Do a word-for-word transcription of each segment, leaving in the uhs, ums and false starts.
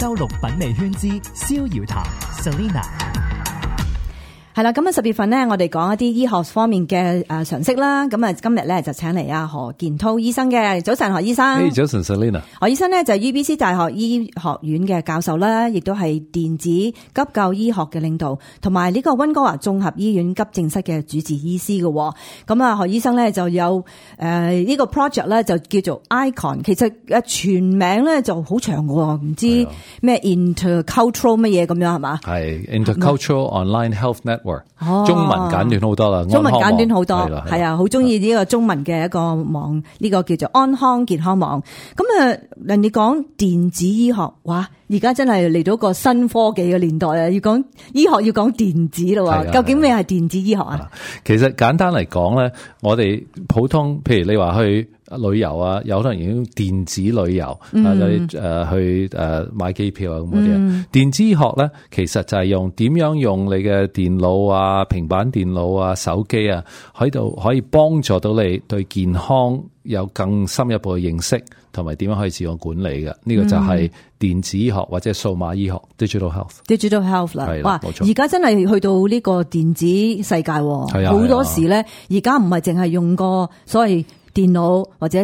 周六品味圈之逍遙談 Selena。係啦，咁啊十月份咧，我哋講一啲醫學方面嘅誒常識啦。咁啊今日咧就請嚟阿何健滔醫生嘅。早晨何醫生。Hey, 早晨 Selena。何醫生咧就係 U B C 大學醫學院嘅教授啦，亦都係電子急救醫學嘅領導，同埋呢個溫哥華綜合醫院急症室嘅主治醫師嘅。咁啊何醫生咧就有誒呢個 project 咧就叫做 ICON， 其實誒全名咧就好長嘅，唔知咩 intercultural 乜嘢咁樣係嘛？係 Intercultural Online Health Network。哦、中文簡短好多啦，中文簡短好多，係啊，好中意呢個中文嘅一個網，呢、這個叫做安康健康網。咁啊，人哋講電子醫學，哇！而家真係嚟到個新科技嘅年代啊，要講醫學要講電子咯。究竟咩係電子醫學啊？其實簡單嚟講咧，我哋普通，譬如你話去旅遊啊，有可能已經電子旅遊、嗯、啊，你誒去誒買機票啊咁嗰啲啊。嗯、電子醫學咧，其實就係用點樣用你嘅電腦啊、平板電腦啊、手機啊，喺度可以幫助到你對健康有更深一步嘅認識，同埋點樣可以自我管理嘅。呢、這個就係電子醫學或者數碼醫學 （digital health）。digital health 啦，哇！而家真係去到呢個電子世界，好多時咧，而家唔係淨係用個所謂電腦，或者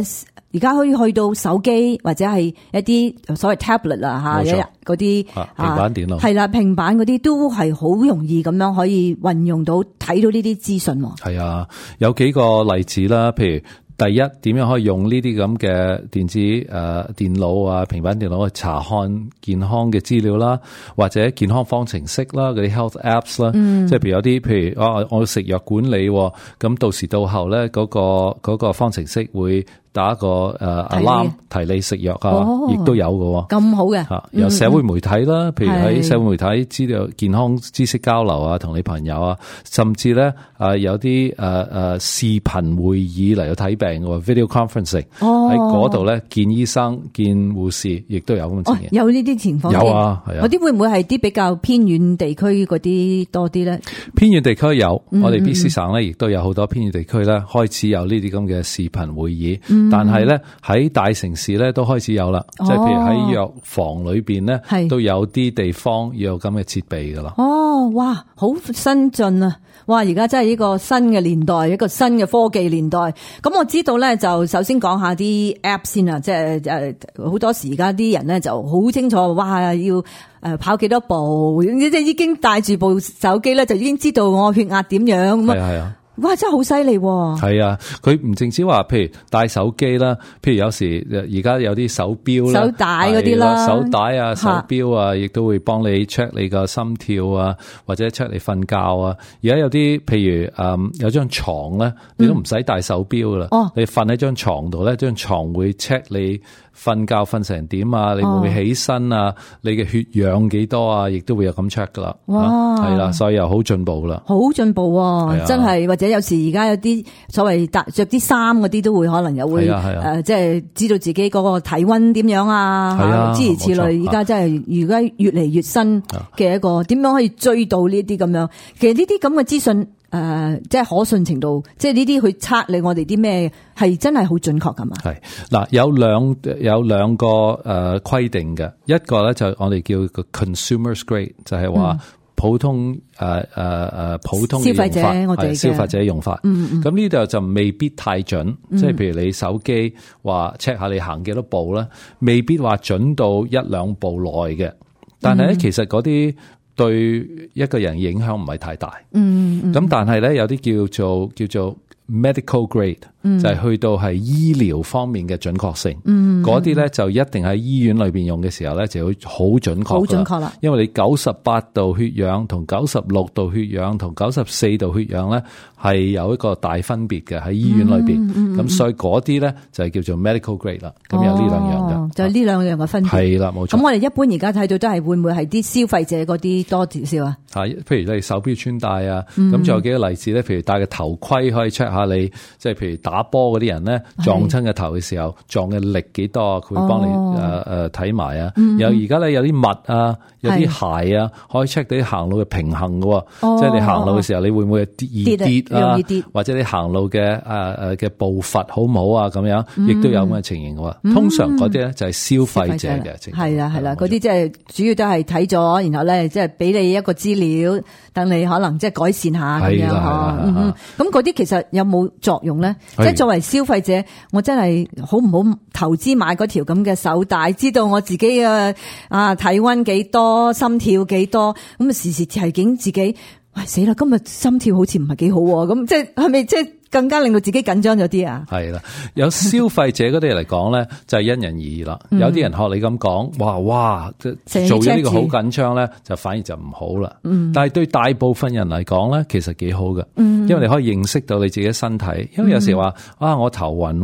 而家可以去到手機或者係一啲所謂 tablet 啦吓，嗰啲平板電腦係啦，平板嗰啲都係好容易咁樣可以運用到，睇到呢啲資訊。係啊，有幾個例子啦，譬如。第一，點樣可以用呢啲咁嘅電子誒、呃、電腦啊、平板電腦去查看健康嘅資料啦，或者健康方程式啦，嗰啲 health apps 啦，嗯、即係譬如有啲譬如啊，我食藥管理，咁到時到後咧嗰個嗰個方程式會打一個誒 alarm 提你食藥啊，亦、哦、都有嘅。咁好嘅，吓有社會媒體啦，嗯、譬如喺社會媒體資料健康知識交流啊，同你朋友啊，甚至咧誒有啲誒誒視頻會議嚟到睇病嘅 video conferencing，喺嗰度咧見醫生見護士，亦都有咁嘅情形。哦、有呢啲情況。有啊，係啊。嗰啲會唔會係啲比較偏遠地區嗰啲多啲咧？偏遠地區有，嗯、我哋 B C 省咧亦都有好多偏遠地區咧開始有呢啲咁嘅視頻會議。嗯但係咧喺大城市咧都開始有啦，即係譬如喺藥房裏邊咧，都有啲地方要有咁嘅設備噶啦。哦，哇，好新進啊！哇，而家真係呢個新嘅年代，一個新嘅科技年代。咁我知道咧，就首先講下啲 app 先啊，即係誒好多時而家啲人咧就好清楚，哇，要誒跑幾多步，即係已經帶住部手機咧，就已經知道我血壓點樣咁啊。係啊。哇！真係好犀利喎！係啊，佢唔淨止話，譬如帶手機啦，譬如有時而家有啲手錶啦、手帶嗰啲啦、手帶啊、手錶啊，亦都會幫你 check 你個心跳啊，或者 check 你瞓覺啊。而家有啲譬如誒、嗯、有張床咧，你都唔使帶手錶噶啦，嗯、你瞓喺張床度咧，張床會 check 你瞓覺瞓成點啊，你會唔會起身啊？哦、你嘅血氧幾多啊？亦都會有咁 check 噶啦。哇！係啦，所以又好進步啦，好進步喎！真係或者有時而家有啲所謂着啲衫嗰啲都會可能又會誒、呃，即係知道自己嗰個體溫點樣啊，諸如此類。而家真係而家越嚟越新嘅一個點樣可以追到呢啲咁樣。其實呢啲咁嘅資訊。誒、呃，即係可信程度，即係呢啲去測你我哋啲咩係真係好準確噶嘛？係嗱，有兩有兩個誒規、呃、定嘅，一個咧就我哋叫個 consumer's grade，就係話普通誒誒誒普通嘅用法，消費者我哋消費者用法。嗯咁呢度就未必太準，嗯、即係譬如你手機話 check 下你行幾多步啦，未必話準到一兩步內嘅。但係咧，嗯、其實嗰啲。對一個人影響唔係太大，嗯，咁、嗯、但係咧有啲叫做叫做 medical grade，嗯、就係去到係醫療方面嘅準確性，嗯，嗰啲咧就一定喺醫院裏邊用嘅時候咧就會好準確，好準確啦，因為你九十八度血氧同九十六度血氧同九十四度血氧咧係有一個大分別嘅喺醫院裏邊，咁、嗯嗯、所以嗰啲咧就係叫做 medical grade 啦，咁、哦、有呢兩樣嘅，就係呢兩樣嘅分別，係啦，冇錯。咁我哋一般而家睇到都係會唔會係啲消費者嗰啲多少少啊？係，譬如你手錶穿戴啊，咁仲、嗯、有幾個例子咧？譬如戴個頭盔可以 check 下你，即係譬如打波嗰啲人咧撞親個頭嘅時候撞嘅力幾多啊？佢會幫你誒誒睇埋啊。有而家咧有啲襪啊，有啲鞋啊，可以 check 到啲行路嘅平衡嘅，哦、即係你行路嘅時候你會唔會易跌啊？跌或者你行路嘅誒誒嘅步伐好唔好啊？咁樣亦都有咁嘅情形嘅。嗯、通常嗰啲咧就係消費者嘅，係啦係啦，嗰啲即係主要都係睇咗，然後咧即係俾你一個資料，等你可能即係改善下咁樣嗬。咁嗰啲其實有冇作用咧？即係作為消費者，我真係好唔好投資買嗰條咁嘅手帶，知道我自己嘅啊體溫幾多，心跳幾多，咁啊時時提醒自己，喂死啦，今日心跳好似唔係幾好，咁即係係咪即係更加令到自己緊張咗啲啊？係啦，有消費者嗰啲嚟講咧，就係因人而異啦。嗯、有啲人學你咁講，哇哇，做咗呢個好緊張咧，就反而就唔好啦。嗯、但係對大部分人嚟講咧，其實幾好嘅，嗯、因為你可以認識到你自己身體。因為有時話啊，我頭暈，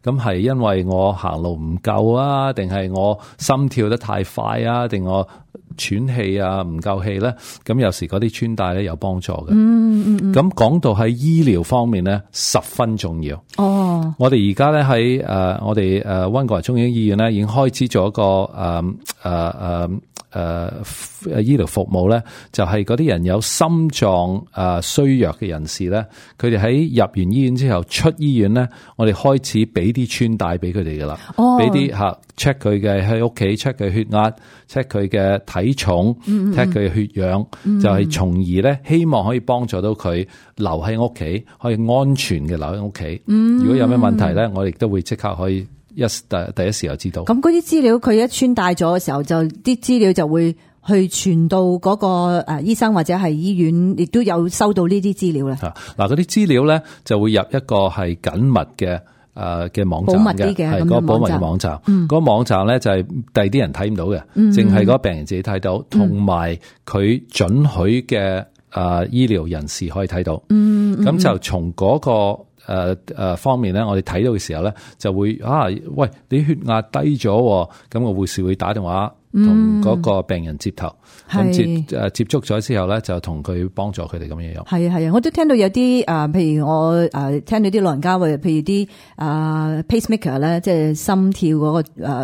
咁係因為我行路唔夠啊，定係我心跳得太快啊，定我喘氣啊，唔夠氣咧，咁有時嗰啲穿戴咧有幫助嘅。嗯嗯嗯。咁講到喺醫療方面咧，十分重要。哦。我哋而家咧喺誒，我哋誒溫哥華中央醫院咧，已經開始咗一個誒誒誒誒醫療服務咧，就係嗰啲人有心臟誒衰弱嘅人士咧，佢哋喺入完醫院之後出醫院咧，我哋開始俾啲穿戴俾佢哋噶啦。哦。俾啲吓 check 佢嘅喺屋企 check 佢血壓 check 佢嘅體重 check 佢嘅血氧，嗯、就係從而咧希望可以幫助到佢留喺屋企，可以安全嘅留喺屋企。嗯、如果有咩問題咧，我哋都會即刻可以一第第一時候知道。咁嗰啲資料佢一穿戴咗嘅時候，就啲資料就會去傳到嗰個誒醫生或者係醫院，亦都有收到呢啲資料咧。嗱，嗰啲資料咧就會入一個係緊密嘅。誒嘅網站嘅，係嗰個保密嘅網站。嗰個網站咧就係第二啲人睇唔到嘅，淨係嗰個病人自己睇到，同埋佢准許嘅誒醫療人士可以睇到。咁、嗯嗯、就從嗰個誒誒方面咧，我哋睇到嘅時候咧，就會啊，喂，你血壓低咗，咁個護士會打電話同嗰個病人接頭。咁、嗯、接誒接觸咗之後咧，就同佢幫助佢哋咁樣樣。係啊係啊，我都聽到有啲誒、呃，譬如我誒、呃、聽到啲老人家或者譬如啲誒、呃、pacemaker 咧，即係心跳嗰、那個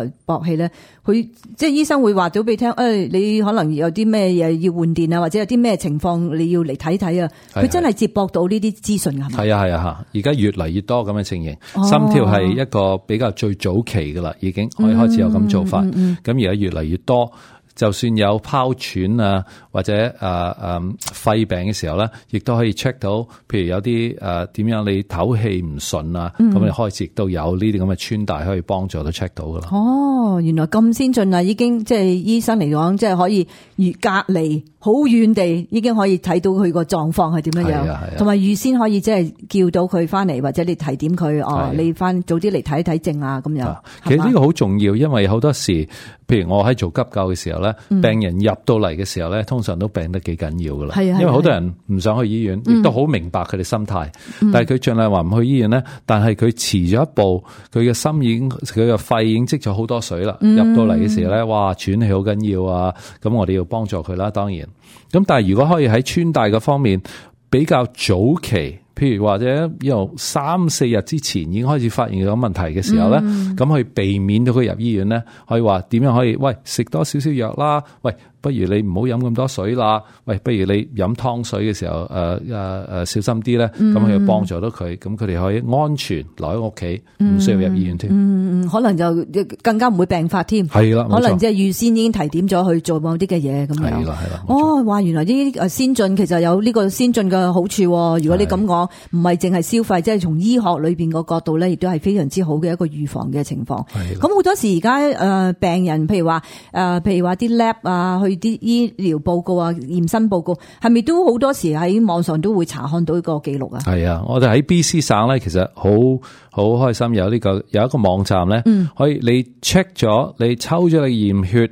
誒搏器咧，佢即係醫生會話到俾你聽，誒、哎、你可能有啲咩嘢要換電啊，或者有啲咩情況你要嚟睇睇啊。佢真係接駁到呢啲資訊㗎，係咪？係啊係啊嚇，而家越嚟越多咁嘅情形，哦、心跳係一個比較最早期㗎啦，已經可以開始有咁做法。咁而家越嚟越多。就算有哮喘啊，或者誒誒、呃、肺病嘅時候咧，亦都可以 check 到，譬如有啲誒點樣你唞氣唔順啊，咁、嗯、你開始亦都有呢啲咁嘅穿戴可以幫助到 check 到噶啦。哦，原來咁先進啊！已經即係醫生嚟講，即係可以預隔離好遠地，已經可以睇到佢個狀況係點樣樣，同埋預先可以即係叫到佢翻嚟，或者你提點佢哦，你翻早啲嚟睇睇症啊咁樣。其實呢個好重要，因為好多時，譬如我喺做急救嘅時候咧，嗯、病人入到嚟嘅時候咧，通常都病得幾緊要噶啦。因為好多人唔想去醫院，亦都好明白佢哋心態。嗯、但係佢盡量話唔去醫院咧，但係佢遲咗一步，佢嘅心已經佢嘅肺已經積咗好多水啦。嗯、入到嚟嘅時候咧，哇，喘氣好緊要啊！咁我哋要幫助佢啦，當然。咁但係如果可以喺穿戴嘅方面比較早期，譬如或者由三四日之前已經開始發現咗問題嘅時候咧，咁、嗯、去避免到佢入醫院咧，可以話點樣可以？喂，食多少少藥啦，喂。不如你唔好飲咁多水啦，喂，不如你飲湯水嘅時候，誒誒誒小心啲咧，咁佢就幫助到佢，咁佢哋可以安全留喺屋企，唔、嗯、需要入醫院添。嗯嗯，可能就更加唔會病發添。係啦，可能即係預先已經提點咗去做某啲嘅嘢咁樣。係啦係啦。哦，話原來呢啲誒先進其實有呢個先進嘅好處。如果你咁講，唔係淨係消費，即係從醫學裏邊個角度咧，亦都係非常之好嘅一個預防嘅情況。係。咁好多時而家誒病人，譬如話誒、呃，譬如話啲 lab 啊，去啲醫療報告啊、驗身報告，係咪都好多時喺網上都會查看到呢個記錄啊？係啊，我哋喺 B C 省咧，其實好好開心有呢、這個有一個網站咧，嗯、可以你 check 咗，你抽咗你驗血，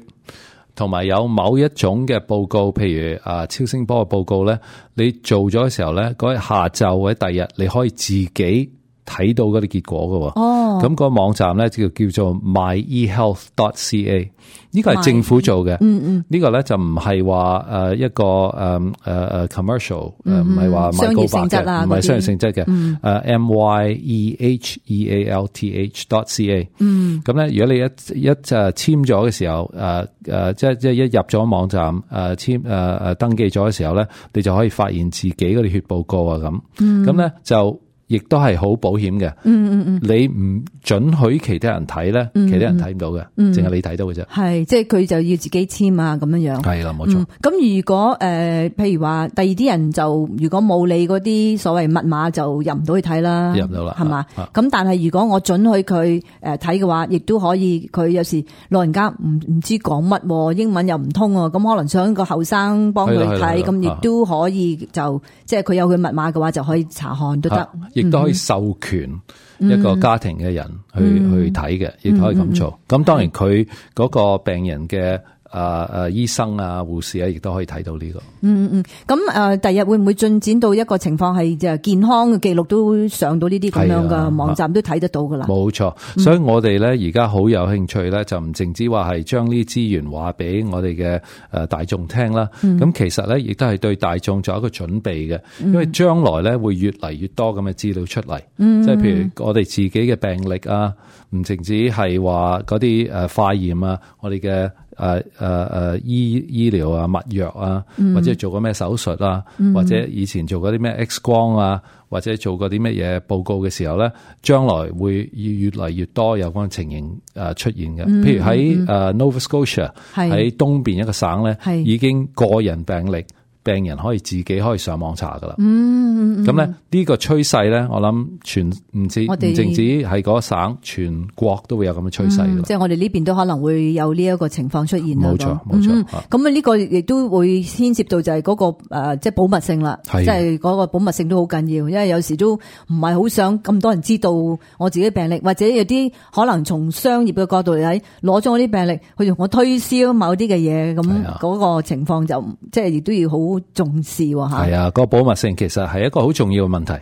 同埋有某一種嘅報告，譬如啊超聲波嘅報告咧，你做咗嘅時候咧，嗰日下晝或者第二日，你可以自己睇到嗰啲結果㗎喎。哦，咁個網站咧就叫做 my e health dot c a。呢個係政府做嘅，嗯嗯，呢個咧就唔係話誒一個誒誒誒 commercial，誒唔係話賣告白嘅，唔係商業性質嘅，誒 m y e h e a l t h dot c a，嗯，咁咧如果你一一就簽咗嘅時候，誒誒即係即係一入咗網站，誒簽誒誒登記咗嘅時候咧，你就可以發現自己嗰啲血報告啊咁，咁咧就。亦都係好保險嘅。嗯嗯嗯，你唔准許其他人睇咧，其他人睇唔到嘅，淨、嗯、係你睇到嘅啫。係，即係佢就要自己簽啊，咁樣樣。係啦，冇錯。咁、嗯、如果誒、呃，譬如話第二啲人就如果冇你嗰啲所謂密碼就入唔到去睇啦，入唔到啦，係嘛？咁但係如果我准許佢誒睇嘅話，亦都可以。佢有時老人家唔唔知講乜，英文又唔通，咁可能想個後生幫佢睇，咁亦都可以就即係佢有佢密碼嘅話，就可以查看都得。亦都可以授權一個家庭嘅人去、嗯、去睇嘅，亦都可以咁做。咁、嗯、當然佢嗰個病人嘅。誒、呃、誒、呃，醫生啊、護士啊，亦都可以睇到呢、這個。嗯嗯，咁誒，第日會唔會進展到一個情況係就健康嘅記錄都上到呢啲咁樣嘅網站都睇得到噶啦？冇錯，所以我哋咧而家好有興趣咧，就唔淨止話係將呢啲資源話俾我哋嘅誒大眾聽啦。咁、嗯、其實咧亦都係對大眾做一個準備嘅，因為將來咧會越嚟越多咁嘅資料出嚟。嗯，即係譬如我哋自己嘅病歷啊，唔淨止係話嗰啲誒化驗啊，我哋嘅。誒誒誒醫醫療啊、物藥啊，或者做過咩手術啊、嗯，或者以前做過啲咩 X 光啊，或者做過啲乜嘢報告嘅時候咧，將來會越嚟越多有關情形誒出現嘅。譬如喺誒 Nova Scotia 喺東邊一個省咧，已經個人病歷。病人可以自己可以上網查噶啦，嗯，咁咧呢個趨勢咧，我諗全唔止唔淨止係嗰省，全國都會有咁嘅趨勢噶啦。即係我哋呢邊都可能會有呢一個情況出現啦。冇錯，冇錯。咁啊呢個亦都會牽涉到就係嗰個誒，即係保密性啦。即係嗰個保密性都好緊要，因為有時都唔係好想咁多人知道我自己病歷，或者有啲可能從商業嘅角度嚟睇，攞咗我啲病歷去同我推銷某啲嘅嘢，咁嗰個情況就即係亦都要好重視喎吓。係啊，個保密性其實係一個好重要嘅問題。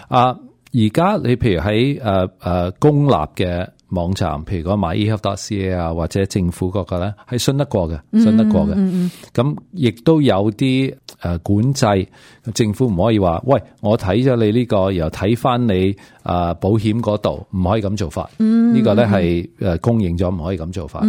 啊，而家你譬如喺誒誒公立嘅網站，譬如講 my e health dot c a 啊，或者政府嗰個咧，係信得過嘅，信得過嘅。咁亦都有啲誒管制，政府唔可以話，喂，我睇咗你呢個，然後睇翻你啊保險嗰度，唔可以咁做法。呢個咧係誒公認咗唔可以咁做法。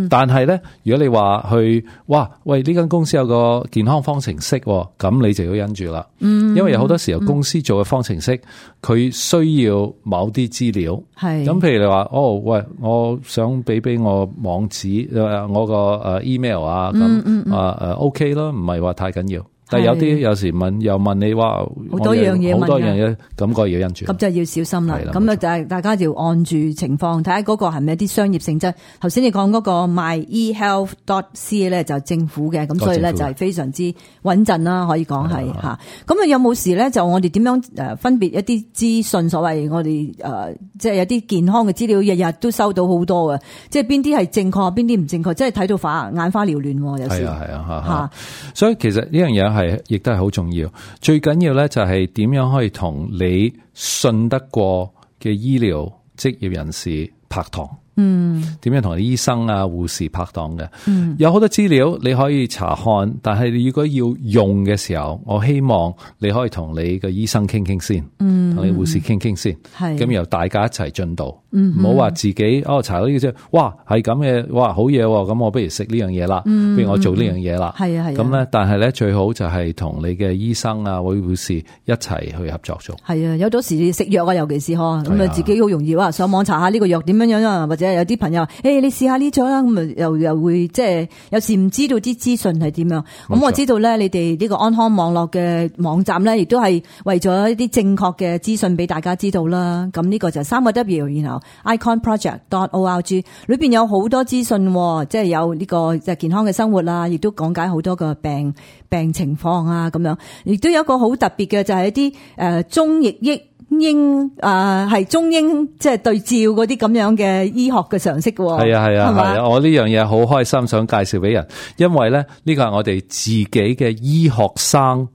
但係咧，如果你話去，哇，喂，呢間公司有個健康方程式，咁你就要忍住啦。因為有好多時候公司做嘅方程式，佢需要某啲資料。係。咁譬如你話，哦，喂，我想俾俾我網址，誒，我個誒 email 啊，咁啊誒 OK 咯，唔係話太緊要。但係有啲有時問又問你話好多樣嘢，好多樣嘢，咁個要因住，咁就要小心啦。咁啊就係大家就要按住情況睇下嗰個係咪一啲商業性質。頭先你講嗰個 my e health dot c a 咧就政府嘅，咁所以咧就係非常之穩陣啦，可以講係吓。咁啊有冇時咧就我哋點樣誒分別一啲資訊？所謂我哋誒即係有啲健康嘅資料，日日都收到好多嘅，即係邊啲係正確，邊啲唔正確，即係睇到花眼花繚亂。有時係啊係啊吓，所以其實呢樣嘢係亦都係好重要，最緊要咧就係點樣可以同你信得過嘅醫療職業人士拍檔。嗯，點樣同醫生啊、護士拍檔嘅？嗯，有好多資料你可以查看，但係你如果要用嘅時候，我希望你可以同你嘅醫生傾傾先，嗯，同你護士傾傾先，係咁由大家一齊進度，嗯，唔好話自己哦查到呢個啫，哇係咁嘅，哇好嘢，咁我不如食呢樣嘢啦，不如我做呢樣嘢啦，係啊係，咁咧，但係咧最好就係同你嘅醫生啊或者護士一齊去合作做。係啊，有咗時食藥啊，尤其是嗬，咁啊自己好容易哇上網查下呢個藥點樣樣啊，或者有啲朋友，誒、欸，你試下呢種啦，咁啊，又又會即係有時唔知道啲資訊係點樣。咁我知道咧，你哋呢個安康網絡嘅網站咧，亦都係為咗一啲正確嘅資訊俾大家知道啦。咁呢個就係三個 W， 然後 icon project dot org 裏邊有好多資訊，即係有呢個即係健康嘅生活啦，亦都講解好多個病病情況啊，咁樣。亦都有一個好特別嘅，就係一啲誒中譯益。英啊，係、呃、中英即係對照嗰啲咁樣嘅醫學嘅常識嘅。係啊係啊係啊，我呢樣嘢好開心，想介紹俾人，因為咧呢個係我哋自己嘅醫學生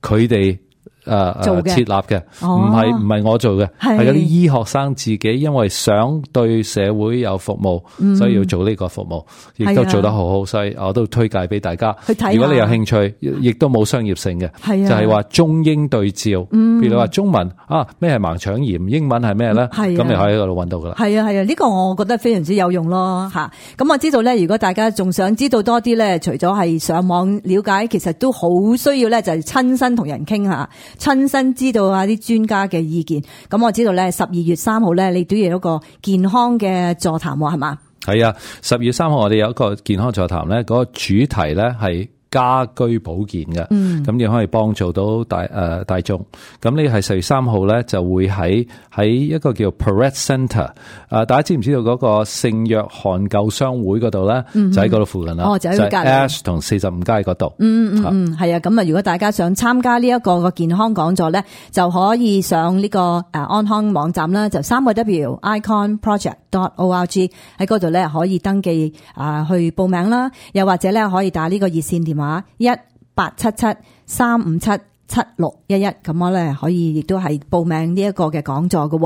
佢哋誒誒設立嘅，唔係唔係我做嘅，係嗰啲醫學生自己，因為想對社會有服務，嗯、所以要做呢個服務，亦都做得好好，所以我都推介俾大家去睇。如果你有興趣，亦都冇商業性嘅，就係、是、話中英對照。嗯、譬如話中文啊，咩係盲腸炎，英文係咩咧？咁你可以喺嗰度揾到噶啦。係啊係啊，呢、這個我覺得非常之有用咯吓。咁我知道咧，如果大家仲想知道多啲咧，除咗係上網了解，其實都好需要咧，就係親身同人傾下。親身知道啊啲專家嘅意見。咁我知道咧，十二月三號咧，你都要有一個健康嘅座談喎，係嘛？係啊，十二月三號我哋有一個健康座談咧，嗰個主題咧係家居保健嘅，咁亦可以幫助到大誒、呃、大眾。咁呢係十月三號咧，就會喺喺一個叫 Perrett Centre。誒，大家知唔知道嗰個聖約翰救傷會嗰度咧？就喺嗰度附近啦。哦，就喺隔籬 Ash 同四十五街嗰度。嗯嗯嗯，係啊。咁啊，如果大家想參加呢一個個健康講座咧，就可以上呢個誒安康網站啦，就三個 W icon project dot org 喺嗰度咧可以登記啊去報名啦，又或者咧可以打呢個熱線電話。一八七七三五七七六一一，咁我咧可以亦都係報名呢一個嘅講座嘅。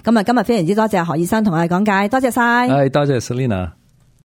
咁啊，今日非常之多謝何醫生同我哋講解，多謝晒。係，多謝 Selina。